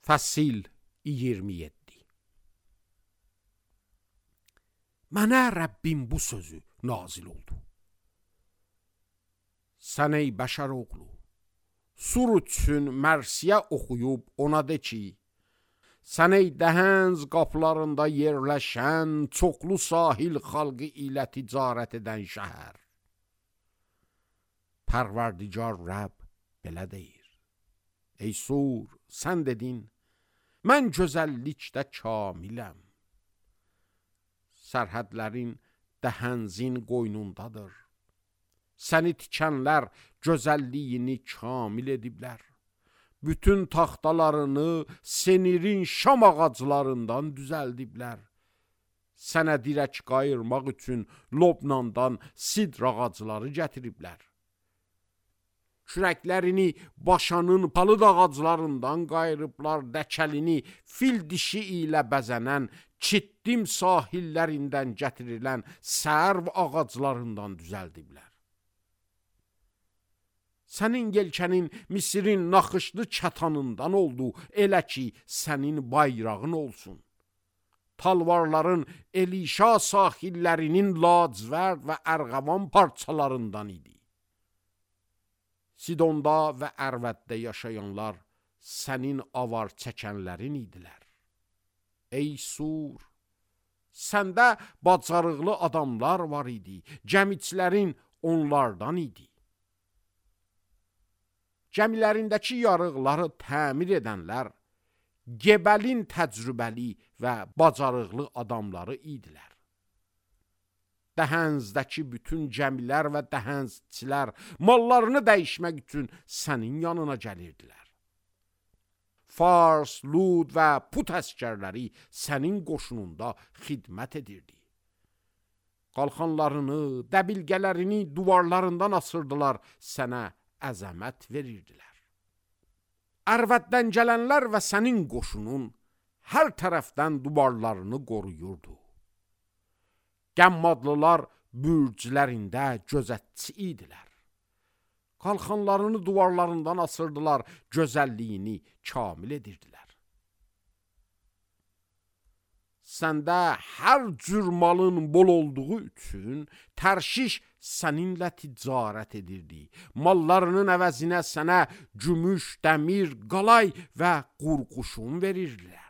Fəsil 27. Mənə Rəbbim bu sözü nazil oldu. Sən ey bəşər oğlu, sur üçün mərsiyə oxuyub ona de ki, sən ey dəhənz qapılarında yerləşən çoxlu sahil xalqı ilə ticarət edən şəhər. Pərverdigar Rəbb belə deyir. Ey sur, sən dedin, mən gözəllikdə kamiləm. Sərhədlərin dəhənzin qoynundadır. Səni tikənlər gözəlliyini kamil ediblər. Bütün taxtalarını senirin şam ağaclarından düzəldiblər. Sənə dirək qayırmaq üçün Lobnandan sidr ağacları gətiriblər. Kürəklərini Başanın palıd ağaclarından qayırıblar, dəkəlini fil dişi ilə bəzənən Çittim sahillərindən gətirilən sərv ağaclarından düzəldiblər. Sənin yelkənin Misirin naxışlı çatanından oldu, elə ki, sənin bayrağın olsun. Talvarların Elişa sahillərinin lacivərd və ərğavan parçalarından idi. Sidonda və Ərvəddə yaşayanlar sənin avar çəkənlərin idilər. Ey sur, səndə bacarıqlı adamlar var idi, gəmiçilərin onlardan idi. Gəmilərindəki yarıqları təmir edənlər Gebəlin təcrübəli və bacarıqlı adamları idilər. Dəhənzdəki bütün gəmilər və dəhənzçilər mallarını dəyişmək üçün sənin yanına gəlirdilər. Fars, Lud və Put əskərləri sənin qoşununda xidmət edirdi. Qalxanlarını, dəbilgələrini duvarlarından asırdılar, sənə əzəmət verirdilər. Ərvəddən gələnlər və sənin qoşunun hər tərəfdən duvarlarını qoruyurdu. Qəmmadlılar bürclərində gözətçi idilər. Qalxanlarını duvarlarından asırdılar, gözəlliyini kamil edirdilər. Səndə hər cür malın bol olduğu üçün Tərşiş səninlə ticarət edirdi. Mallarının əvəzinə sənə gümüş, dəmir, qalay və qurquşun verirdilər.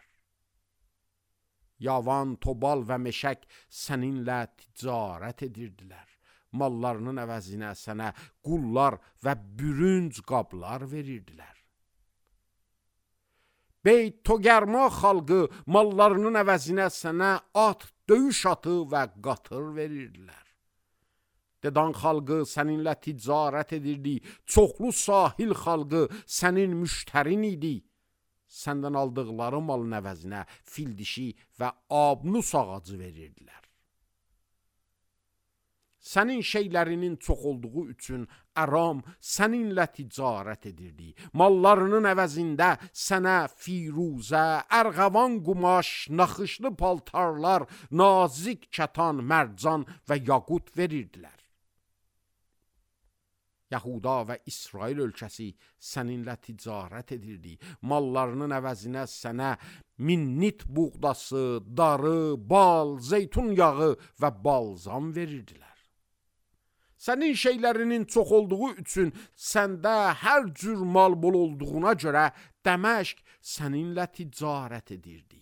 Yavan, Tobal və Meşək səninlə ticarət edirdilər. Mallarının əvəzinə sənə qullar və bürünc qablar verirdilər. Beyt Togarma xalqı mallarının əvəzinə sənə at, döyüş atı və qatır verirdilər. Dedan xalqı səninlə ticarət edirdi, çoxlu sahil xalqı sənin müştərin idi. Səndən aldıqları malın əvəzinə fil dişi və abnus ağacı verirdilər. Sənin şeylərinin çox olduğu üçün Əram səninlə ticarət edirdi. Mallarının əvəzində sənə firuzə, ərğavan qumaş, naxışlı paltarlar, nazik kətan, mərcan və yaqut verirdilər. Yahuda və İsrail ölkəsi səninlə ticarət edirdi. Mallarının əvəzinə sənə minnit buğdası, darı, bal, zeytun yağı və balzam verirdilər. Sənin şeylərinin çox olduğu üçün səndə hər cür mal bol olduğuna görə Dəməşq səninlə ticarət edirdi.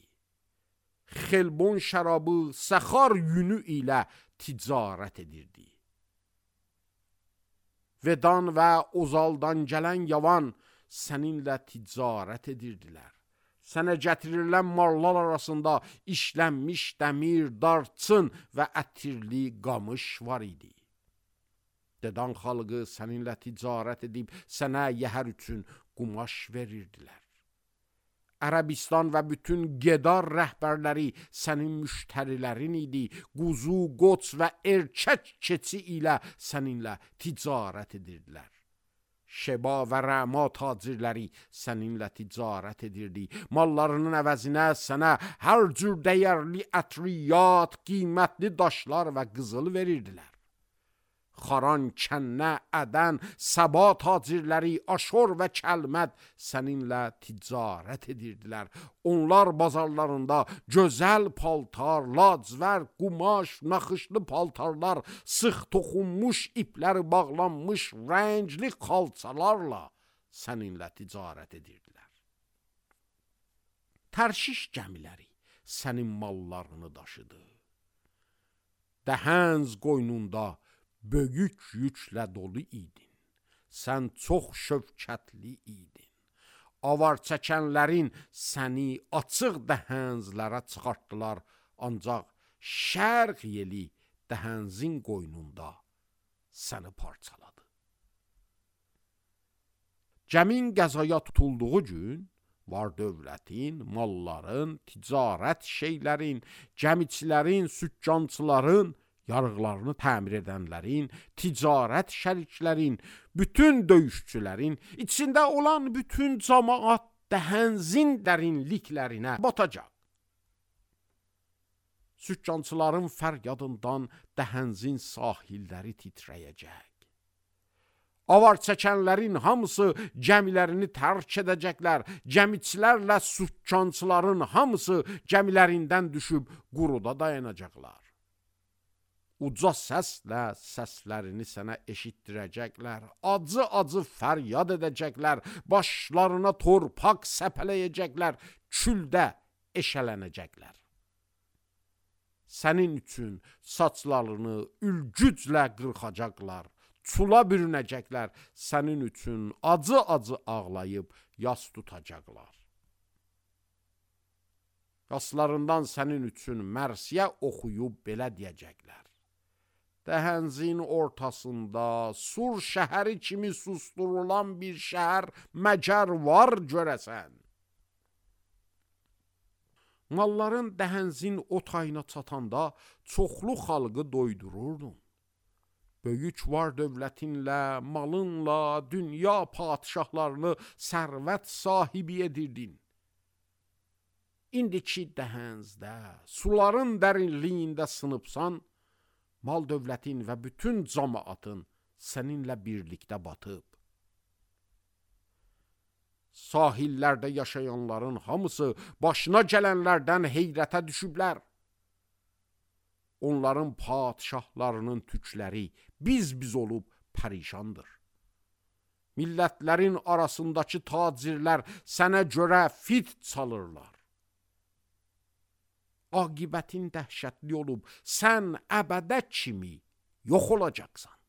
Xelbon şərabı, Səxar yünü ilə ticarət edirdi. Vedan və Ozaldan gələn yavan səninlə ticarət edirdilər. Sənə gətirilən mallar arasında işlənmiş dəmir, darçın və ətirli qamış var idi. Dedan xalqı səninlə ticarət edib sənə yəhər üçün qumaş verirdilər. Ərəbistan və bütün Gedar rəhbərləri sənin müştərilərin idi. Quzu, qoç və erkək keçi ilə səninlə ticarət edirdilər. Şeba və Rəma tacirləri səninlə ticarət edirdi. Mallarının əvəzinə sənə hər cür dəyərli ətriyyat, qiymətli daşlar və qızıl verirdilər. Xaran, Kənnə, Ədən, Səba tacirləri, Aşor və Kəlməd səninlə ticarət edirdilər. Onlar bazarlarında gözəl paltar, lacivər, qumaş, naxışlı paltarlar, sıx toxunmuş iplər bağlanmış rəngli xalçalarla səninlə ticarət edirdilər. Tərşiş gəmiləri sənin mallarını daşıdı. Dəhənz qoynunda böyük yüklə dolu idin. Sən çox şövkətli idin. Avar çəkənlərin səni açıq dəhənzlərə çıxartdılar, ancaq şərq yeli dəhənzin qoynunda səni parçaladı. Gəmin qəzaya tutulduğu gün var dövlətin, malların, ticarət şeylərin, gəmiçilərin, sükkançıların, yarıqlarını təmir edənlərin, ticarət şəriklərin, bütün döyüşçülərin, içində olan bütün cəmaat dəhənzin dərinliklərinə batacaq. Sükkançıların fəryadından dəhənzin sahilləri titrəyəcək. Avar çəkənlərin hamısı gəmilərini tərk edəcəklər. Gəmiçilərlə sükkançıların hamısı gəmilərindən düşüb quruda dayanacaqlar. Uca səslə səslərini sənə eşitdirəcəklər. Acı-acı fəryad edəcəklər. Başlarına torpaq səpələyəcəklər. Küldə eşələnəcəklər. Sənin üçün saçlarını ülgüclə qırxacaqlar. Çula bürünəcəklər, sənin üçün acı-acı ağlayıb yas tutacaqlar. Yaslarından sənin üçün mərsiyə oxuyub belə deyəcəklər. Dəhənzin ortasında Sur şəhəri kimi susturulan bir şəhər məgər var görəsən. Malların dəhənzin o tayına çatanda çoxlu xalqı doydururdun. Böyük var dövlətinlə, malınla, dünya padişahlarını sərvət sahibi edirdin. İndiki dəhənzdə, suların dərinliyində sınıbsan, mal dövlətin və bütün cəmaatın səninlə birlikdə batıb. Sahillərdə yaşayanların hamısı başına gələnlərdən heyrətə düşüblər. Onların padişahlarının tükləri biz olub pərişandır. Millətlərin arasındakı tacirlər sənə görə fit çalırlar. Aqibətin dəhşətli olub, sən əbədə kimi yox olacaqsan.